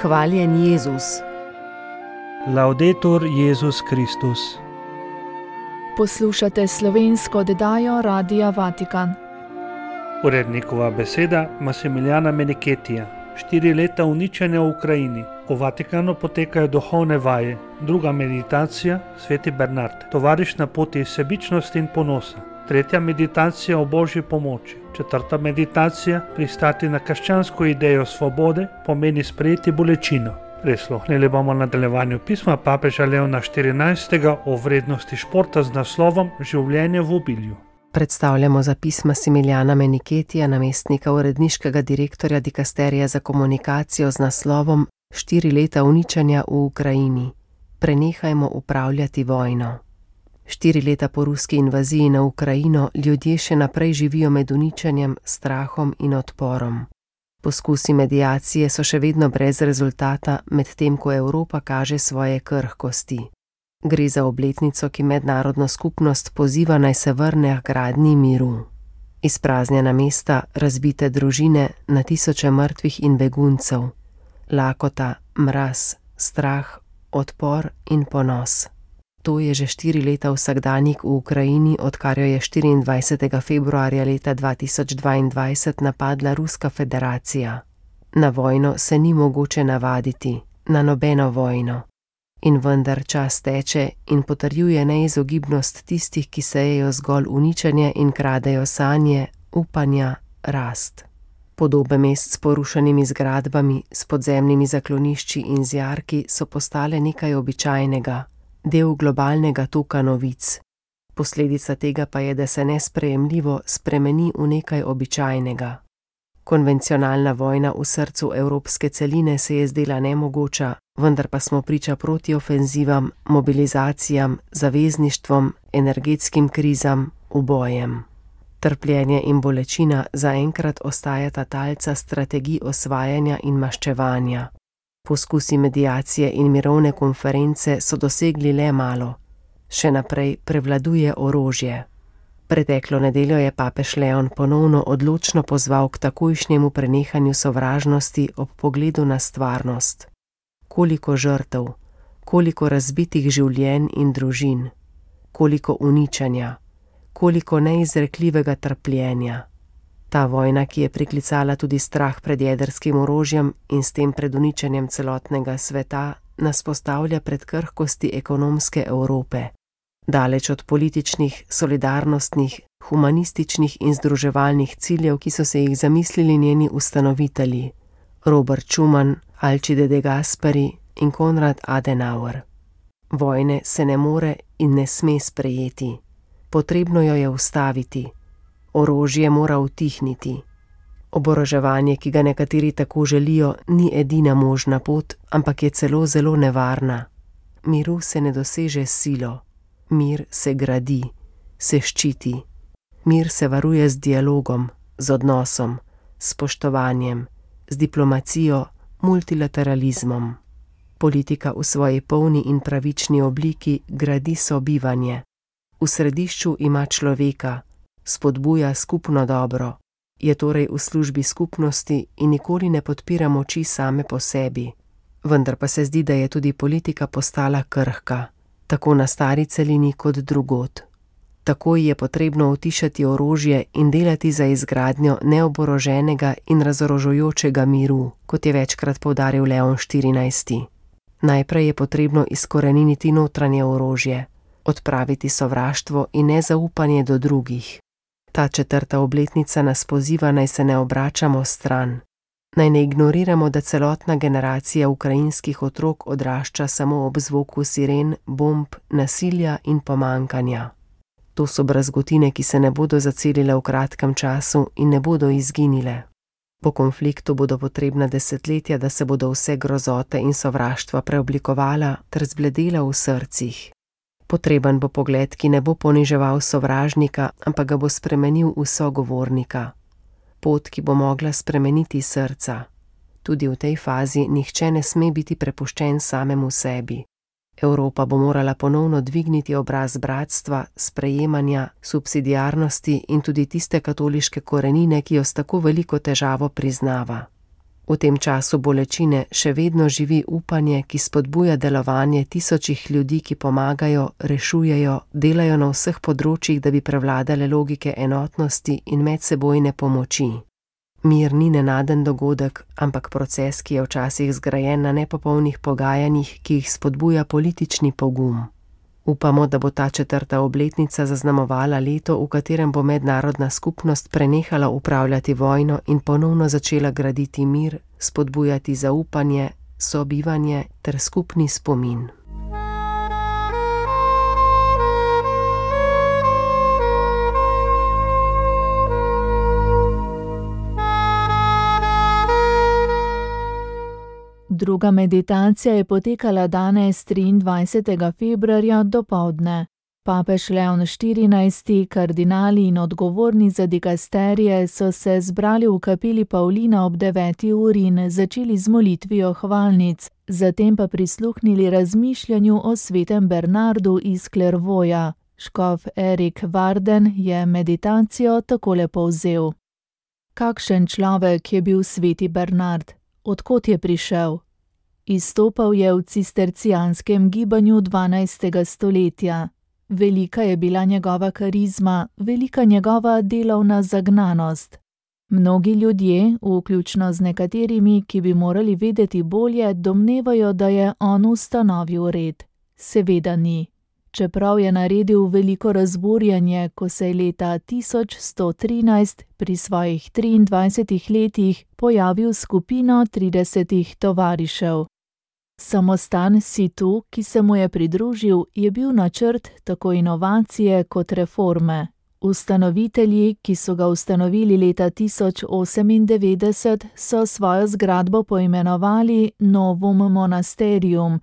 Hvaljen Jezus. Laudetur Jezus Kristus. Poslušate slovensko oddajo Radia Vatikan. Urednikova beseda Massimiliana Meniketija. 4 leta uničenja v Ukrajini. V Vatikanu potekajo duhovne vaje. Druga meditacija, Sveti Bernard, tovariš na poti sebičnosti in ponosa. Tretja meditacija o Božji pomoči. Četrta meditacija, pristati na krščansko idejo svobode, pomeni sprejeti bolečino. Prisluhnili bomo nadaljevanju pisma papeža Leona XIV o vrednosti športa z naslovom Življenje v obilju. Predstavljamo zapis Massimiliana Meniketija, namestnika uredniškega direktorja dikasterija za komunikacijo z naslovom 4 leta uničenja v Ukrajini. Prenehajmo upravljati vojno. 4 leta po ruski invaziji na Ukrajino ljudje še naprej živijo med uničenjem, strahom in odporom. Poskusi mediacije so še vedno brez rezultata, medtem ko Evropa kaže svoje krhkosti. Gre za obletnico, ki mednarodno skupnost poziva naj se vrne k gradnji miru. Izpraznjena mesta, razbite družine, na tisoče mrtvih in beguncev. Lakota, mraz, strah, odpor in ponos. To je že 4 leta vsakdanjik v Ukrajini, odkar jo je 24. februarja leta 2022 napadla Ruska federacija. Na vojno se ni mogoče navaditi, na nobeno vojno. In vendar čas teče in potrjuje neizogibnost tistih, ki sejejo zgolj uničenje in kradejo sanje, upanja, rast. Podobe mest s porušenimi zgradbami, s podzemnimi zaklonišči in z jarki so postale nekaj običajnega, del globalnega toka novic. Posledica tega pa je, da se nesprejemljivo spremeni v nekaj običajnega. Konvencionalna vojna v srcu evropske celine se je zdela nemogoča, vendar pa smo priča protiofenzivam, mobilizacijam, zavezništvom, energetskim krizam, ubojem. Trpljenje in bolečina zaenkrat ostajata talca strategij osvajanja in maščevanja. Poskusi mediacije in mirovne konference so dosegli le malo. Še naprej prevladuje orožje. Preteklo nedeljo je papež Leon ponovno odločno pozval k takojšnjemu prenehanju sovražnosti ob pogledu na stvarnost. Koliko žrtev, koliko razbitih življenj in družin, koliko uničenja, koliko neizrekljivega trpljenja. Ta vojna, ki je priklicala tudi strah pred jedrskim orožjem in s tem pred uničenjem celotnega sveta, nas postavlja pred krhkosti ekonomske Evrope. Daleč od političnih, solidarnostnih, humanističnih in združevalnih ciljev, ki so se jih zamislili njeni ustanovitelji, Robert Schuman, Alcide de Gasperi in Konrad Adenauer. Vojne se ne more in ne sme sprejeti. Potrebno jo je ustaviti. Orožje mora utihniti. Oboroževanje, ki ga nekateri tako želijo, ni edina možna pot, ampak je celo zelo nevarna. Miru se ne doseže s silo. Mir se gradi, se ščiti. Mir se varuje z dialogom, z odnosom, s spoštovanjem, z diplomacijo, multilateralizmom. Politika v svoji polni in pravični obliki gradi sobivanje. V središču ima človeka, spodbuja skupno dobro, je torej v službi skupnosti in nikoli ne podpira moči same po sebi. Vendar pa se zdi, da je tudi politika postala krhka, tako na stari celini kot drugod. Takoj je potrebno utišati orožje in delati za izgradnjo neoboroženega in razorožujočega miru, kot je večkrat poudaril Leon XIV. Najprej je potrebno izkoreniniti notranje orožje, odpraviti sovraštvo in nezaupanje do drugih. Ta 4. obletnica nas poziva, naj se ne obračamo stran. Naj ne ignoriramo, da celotna generacija ukrajinskih otrok odrašča samo ob zvoku siren, bomb, nasilja in pomankanja. To so brazgotine, ki se ne bodo zacelile v kratkem času in ne bodo izginile. Po konfliktu bodo potrebna desetletja, da se bodo vse grozote in sovraštva preoblikovala ter zbledela v srcih. Potreben bo pogled, ki ne bo poniževal sovražnika, ampak ga bo spremenil v sogovornika. Pot, ki bo mogla spremeniti srca. Tudi v tej fazi nihče ne sme biti prepuščen samemu sebi. Evropa bo morala ponovno dvigniti obraz bratstva, sprejemanja, subsidiarnosti in tudi tiste katoliške korenine, ki jo s tako veliko težavo priznava. V tem času bolečine še vedno živi upanje, ki spodbuja delovanje tisočih ljudi, ki pomagajo, rešujejo, delajo na vseh področjih, da bi prevladale logike enotnosti in medsebojne pomoči. Mir ni nenaden dogodek, ampak proces, ki je včasih zgrajen na nepopolnih pogajanjih, ki jih spodbuja politični pogum. Upamo, da bo ta 4. obletnica zaznamovala leto, v katerem bo mednarodna skupnost prenehala upravljati vojno in ponovno začela graditi mir, spodbujati zaupanje, sobivanje ter skupni spomin. Druga meditacija je potekala danes 23. februarja dopoldne. Papež Leon XIV, kardinali in odgovorni za dikasterije so se zbrali v kapeli Pavlina ob 9. uri in začeli z molitvijo hvalnic, zatem pa prisluhnili razmišljanju o svetem Bernardu iz Clairvauxa. Škof Erik Varden je meditacijo takole povzel. Kakšen človek je bil sveti Bernard? Od kod je prišel? Izstopal je v cistercijanskem gibanju 12. stoletja. Velika je bila njegova karizma, velika njegova delovna zagnanost. Mnogi ljudje, vključno z nekaterimi, ki bi morali vedeti bolje, domnevajo, da je on ustanovil red. Seveda ni. Čeprav je naredil veliko razburjanje, ko se je leta 1113 pri svojih 23 letih pojavil skupino 30 tovarišev. Samostan Situ, ki se mu je pridružil, je bil načrt tako inovacije kot reforme. Ustanovitelji, ki so ga ustanovili leta 1098, so svojo zgradbo poimenovali Novum Monasterium.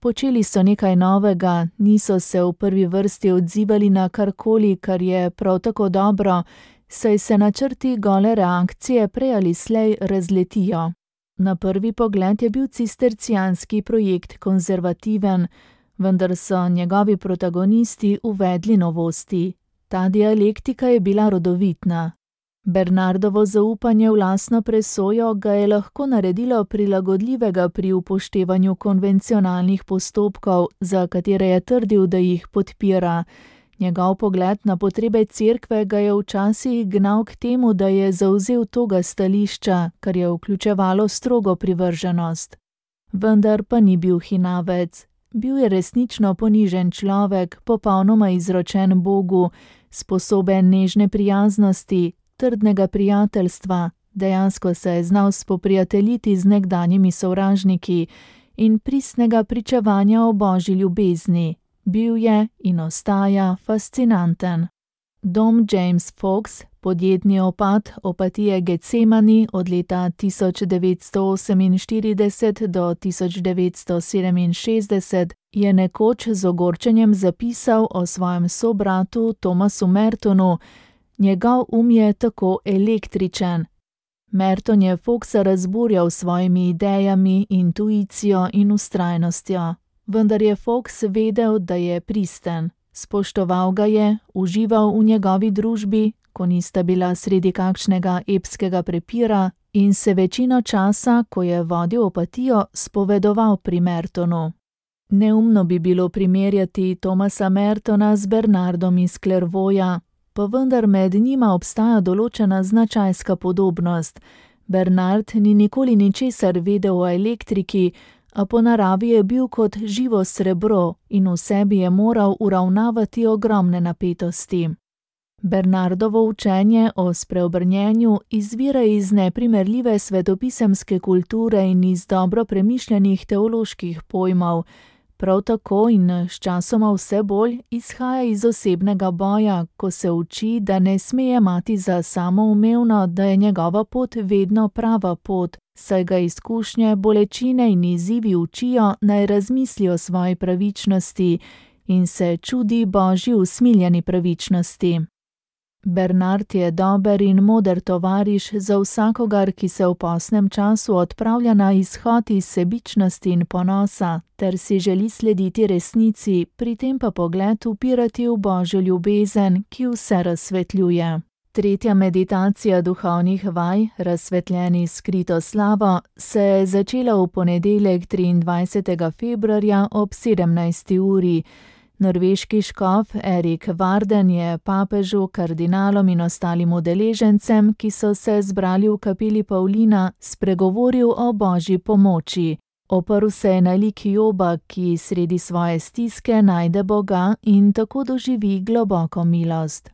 Počeli so nekaj novega, niso se v prvi vrsti odzivali na karkoli, kar je prav tako dobro, saj se načrti gole reakcije prej ali slej razletijo. Na prvi pogled je bil cistercijanski projekt konzervativen, vendar so njegovi protagonisti uvedli novosti. Ta dialektika je bila rodovitna. Bernardovo zaupanje v lastno presojo ga je lahko naredilo prilagodljivega pri upoštevanju konvencionalnih postopkov, za katere je trdil, da jih podpira. Njegov pogled na potrebe cerkve ga je včasih gnal k temu, da je zavzel toga stališča, kar je vključevalo strogo privrženost. Vendar pa ni bil hinavec. Bil je resnično ponižen človek, popolnoma izročen Bogu, sposoben nežne prijaznosti, trdnega prijateljstva, dejansko se je znal spoprijateljiti z nekdanjimi sovražniki in pristnega pričevanja o božji ljubezni. Bil je in ostaja fascinanten. Dom James Fox, podjetni opat opatije Getsemani od leta 1948 do 1967, je nekoč z ogorčenjem zapisal o svojem sobratu Thomasu Mertonu: njegov je tako električen. Merton je Foxa razburjal s svojimi idejami, intuicijo in vztrajnostjo. Vendar je Fox vedel, da je pristen. Spoštoval ga je, užival v njegovi družbi, ko nista bila sredi kakšnega epskega prepira, in se večino časa, ko je vodil opatijo, spovedoval pri Mertonu. Neumno bi bilo primerjati Thomasa Mertona z Bernardom iz Clairvauxa, pa vendar med njima obstaja določena značajska podobnost. Bernard ni nikoli ničesar vedel o elektriki, a po naravi je bil kot živo srebro in v sebi je moral uravnavati ogromne napetosti. Bernardovo učenje o spreobrnjenju izvira iz neprimerljive svetopisemske kulture in iz dobro premišljenih teoloških pojmov. Prav tako in sčasoma vse bolj izhaja iz osebnega boja, ko se uči, da ne sme jemati za samoumevno, da je njegova pot vedno prava pot, saj ga izkušnje, bolečine in izzivi učijo, naj razmisli o svoji pravičnosti in se čudi božji usmiljeni pravičnosti. Bernard je dober in moder tovariš za vsakogar, ki se v posnem času odpravlja na izhod iz sebičnosti in ponosa, ter si želi slediti resnici, pri tem pa pogled upirati v božjo ljubezen, ki vse razsvetljuje. Tretja meditacija duhovnih vaj, razsvetljeni skrito slavo, se je začela v ponedeljek 23. februarja ob 17. uri. Norveški škof Erik Varden je papežu, kardinalom in ostalim udeležencem, ki so se zbrali v kapeli Pavlina, spregovoril o božji pomoči. Oprl se je na lik Joba, ki sredi svoje stiske najde Boga in tako doživi globoko milost.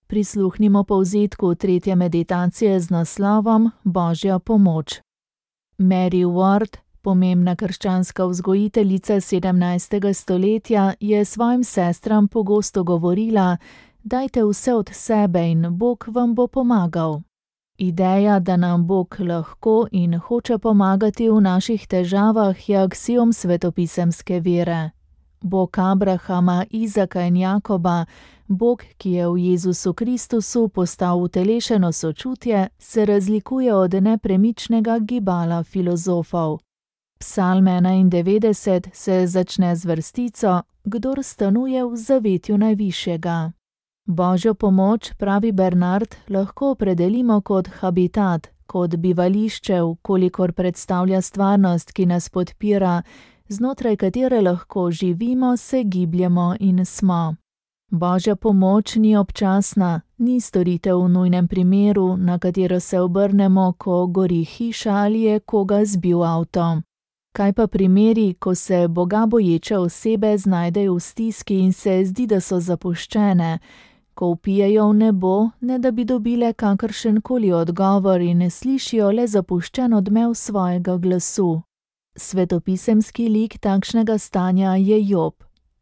Prisluhnimo povzetku tretje meditacije z naslovom Božja pomoč. Mary Ward, pomembna krščanska vzgojiteljica 17. stoletja, je svojim sestram pogosto govorila: dajte vse od sebe in Bog vam bo pomagal. Ideja, da nam Bog lahko in hoče pomagati v naših težavah, je aksiom svetopisemske vere. Bog Abrahama, Izaka in Jakoba, Bog, ki je v Jezusu Kristusu postal utelešeno sočutje, se razlikuje od nepremičnega gibala filozofov. Psalm 91 se začne z vrstico: Kdor stanuje v zavetju najvišjega. Božjo pomoč, pravi Bernard, lahko opredelimo kot habitat, kot bivališče, kolikor predstavlja stvarnost, ki nas podpira, znotraj katere lahko živimo, se gibljemo in smo. Božja pomoč ni občasna, ni storitev v nujnem primeru, na katero se obrnemo, ko gori hiša ali je koga zbil avto. Kaj pa primeri, ko se Boga boječe osebe znajdejo v stiski in se zdi, da so zapuščene, ko vpijejo v nebo, ne da bi dobile kakršenkoli odgovor in ne slišijo le zapuščen odmev svojega glasu. Svetopisemski lik takšnega stanja je Job.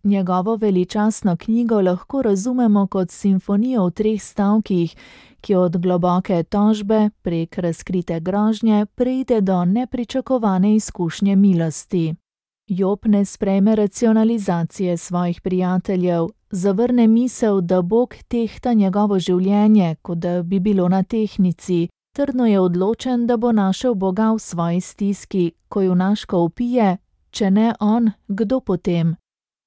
Njegovo veličastno knjigo lahko razumemo kot simfonijo v 3 stavkih, ki od globoke tožbe prek razkrite grožnje preide do nepričakovane izkušnje milosti. Job ne sprejme racionalizacije svojih prijateljev, zavrne misel, da Bog tehta njegovo življenje, kot da bi bilo na tehtnici. Trdno je odločen, da bo našel Boga v svoji stiski, ko junaško vpije: če ne on, kdo potem?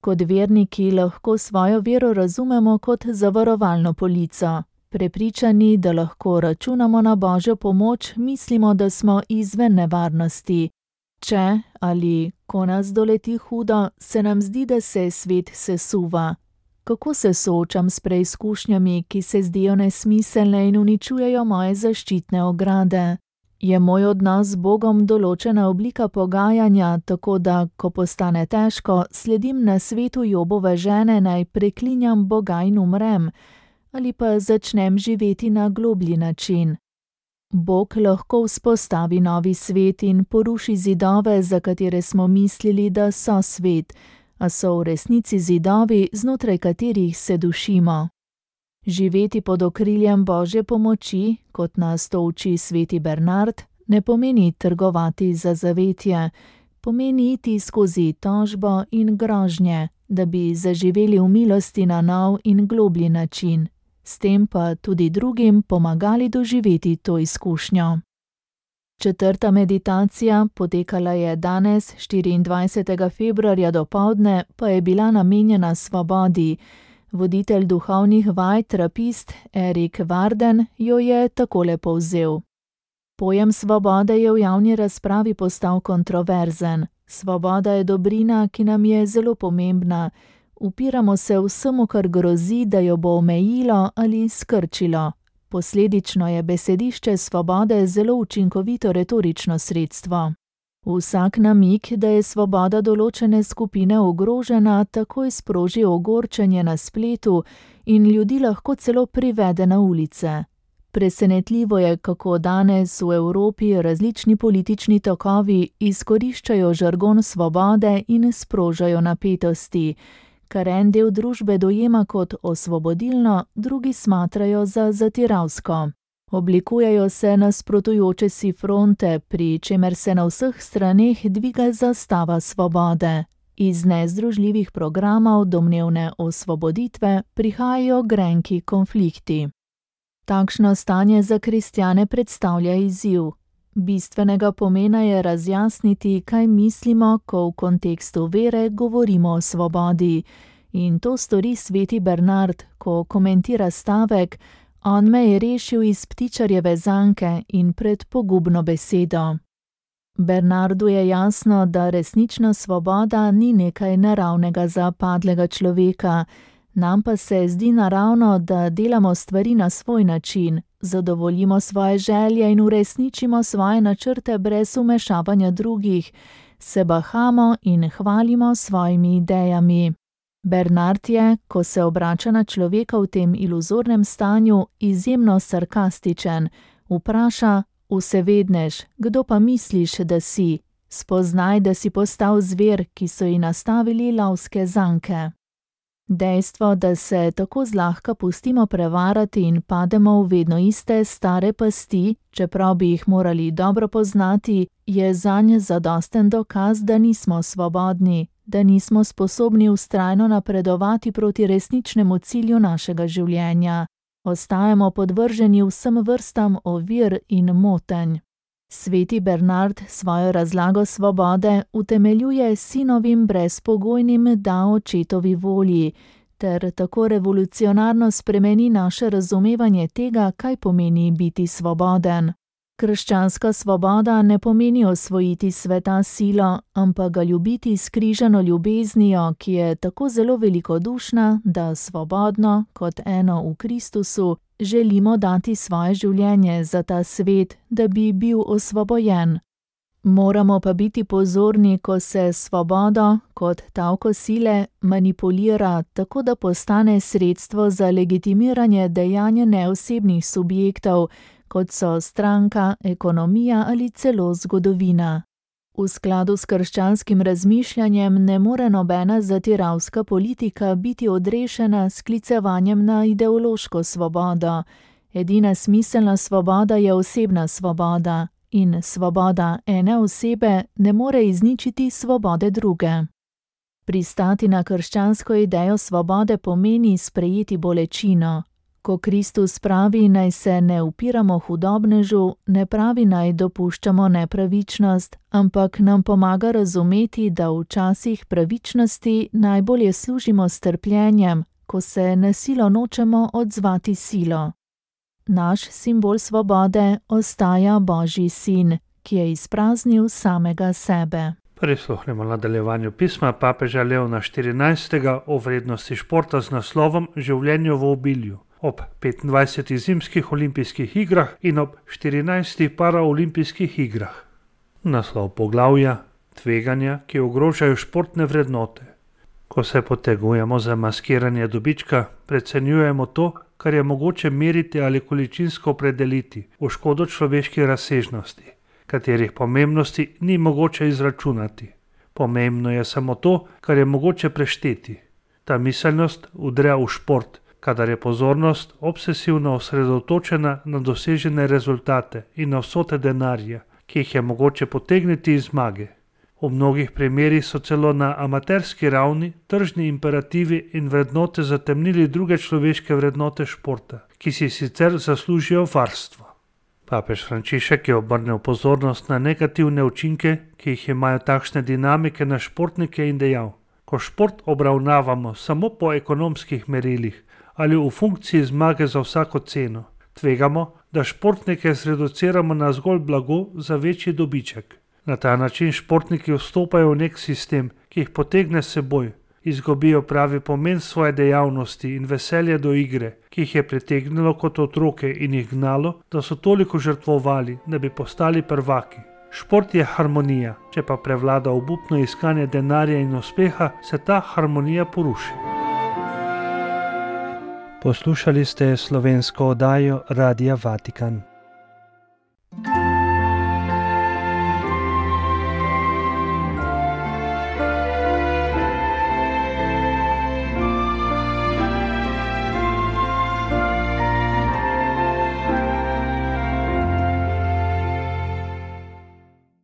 Kot verniki lahko svojo vero razumemo kot zavarovalno polico. Prepričani, da lahko računamo na Božjo pomoč, mislimo, da smo izven nevarnosti. Če ali ko nas doleti hudo, se nam zdi, da se svet sesuva. Kako se soočam s preizkušnjami, ki se zdijo nesmiselne in uničujejo moje zaščitne ograde? Je moj odnos z Bogom določena oblika pogajanja, tako da, ko postane težko, sledim na svetu Jobove žene, naj preklinjam Boga in umrem, ali pa začnem živeti na globlji način? Bog lahko vzpostavi novi svet in poruši zidove, za katere smo mislili, da so svet, a so v resnici zidovi, znotraj katerih se dušimo. Živeti pod okriljem Božje pomoči, kot nas to uči sveti Bernard, ne pomeni trgovati za zavetje, pomeni iti skozi tožbo in grožnje, da bi zaživeli v milosti na nov in globlji način, s tem pa tudi drugim pomagali doživeti to izkušnjo. Četrta meditacija, potekala je danes, 24. februarja dopoldne, pa je bila namenjena svobodi. Voditelj duhovnih vaj, trapist Erik Varden, jo je takole povzel. Pojem svobode je v javni razpravi postal kontroverzen. Svoboda je dobrina, ki nam je zelo pomembna. Upiramo se vsemu, kar grozi, da jo bo omejilo ali skrčilo. Posledično je besedišče svobode zelo učinkovito retorično sredstvo. Vsak namig, da je svoboda določene skupine ogrožena, takoj sproži ogorčenje na spletu in ljudi lahko celo privede na ulice. Presenetljivo je, kako danes v Evropi različni politični tokovi izkoriščajo žargon svobode in sprožajo napetosti, kar en del družbe dojema kot osvobodilno, drugi smatrajo za zatiralsko. Oblikujejo se nasprotujoče si fronte, pri čemer se na vseh straneh dviga zastava svobode. Iz nezdružljivih programov domnevne osvoboditve prihajajo grenki konflikti. Takšno stanje za kristjane predstavlja izziv. Bistvenega pomena je razjasniti, kaj mislimo, ko v kontekstu vere govorimo o svobodi. In to stori sveti Bernard, ko komentira stavek: On me je rešil iz ptičarjeve zanke in pred pogubno besedo. Bernardu je jasno, da resnična svoboda ni nekaj naravnega za padlega človeka, nam pa se zdi naravno, da delamo stvari na svoj način, zadovoljimo svoje želje in uresničimo svoje načrte brez vmešavanja drugih, se bahamo in hvalimo svojimi idejami. Bernard je, ko se obrača na človeka v tem iluzornem stanju, izjemno sarkastičen. Vpraša: vsevednež, kdo pa misliš, da si? Spoznaj, da si postal zver, ki so ji nastavili lovske zanke. Dejstvo, da se tako zlahka pustimo prevarati in pademo v vedno iste stare pasti, čeprav bi jih morali dobro poznati, je zanj zadosten dokaz, da nismo svobodni, da nismo sposobni vztrajno napredovati proti resničnemu cilju našega življenja. Ostajamo podvrženi vsem vrstam ovir in motenj. Sveti Bernard svojo razlago svobode utemeljuje sinovim brezpogojnim da očetovi volji, ter tako revolucionarno spremeni naše razumevanje tega, kaj pomeni biti svoboden. Krščanska svoboda ne pomeni osvojiti sveta s silo, ampak ga ljubiti s križano ljubeznijo, ki je tako zelo velikodušna, da svobodno, kot eno v Kristusu, želimo dati svoje življenje za ta svet, da bi bil osvobojen. Moramo pa biti pozorni, ko se svobodo, kot tavko sile, manipulira, tako da postane sredstvo za legitimiranje dejanja neosebnih subjektov, kot so stranka, ekonomija ali celo zgodovina. V skladu s krščanskim razmišljanjem ne more nobena zatiralska politika biti odrešena s sklicevanjem na ideološko svobodo. Edina smiselna svoboda je osebna svoboda in svoboda ene osebe ne more izničiti svobode druge. Pristati na krščansko idejo svobode pomeni sprejeti bolečino. Ko Kristus pravi, naj se ne upiramo hudobnežu, ne pravi, naj dopuščamo nepravičnost, ampak nam pomaga razumeti, da v časih pravičnosti najbolje služimo s trpljenjem, ko se na silo nočemo odzvati silo. Naš simbol svobode ostaja Božji sin, ki je izpraznil samega sebe. Prisluhnemo nadaljevanju pisma papeža Leona XIV. O vrednosti športa z naslovom Življenje v obilju. Ob 25. zimskih olimpijskih igrah in ob 14. paraolimpijskih igrah. Naslov poglavja: Tveganja, ki ogrožajo športne vrednote. Ko se potegujemo za maskiranje dobička, precenjujemo to, kar je mogoče meriti ali količinsko opredeliti, v škodo človeške razsežnosti, katerih pomembnosti ni mogoče izračunati. Pomembno je samo to, kar je mogoče prešteti. Ta miselnost udre v šport, kadar je pozornost obsesivno osredotočena na dosežene rezultate in na vsote denarja, ki jih je mogoče potegniti iz zmage. V mnogih primerih so celo na amaterski ravni tržni imperativi in vrednote zatemnili druge človeške vrednote športa, ki si sicer zaslužijo varstvo. Papež Frančišek je obrnil pozornost na negativne učinke, ki jih imajo takšne dinamike na športnike in dejal: ko šport obravnavamo samo po ekonomskih merilih ali v funkciji zmage za vsako ceno, tvegamo, da športnike zreduciramo na zgolj blago za večji dobiček. Na ta način športniki vstopajo v nek sistem, ki jih potegne s seboj, izgubijo pravi pomen svoje dejavnosti in veselje do igre, ki jih je pritegnilo kot otroke in jih gnalo, da so toliko žrtvovali, da bi postali prvaki. Šport je harmonija, če pa prevlada obupno iskanje denarja in uspeha, se ta harmonija poruši. Poslušali ste slovensko oddajo Radia Vatikan.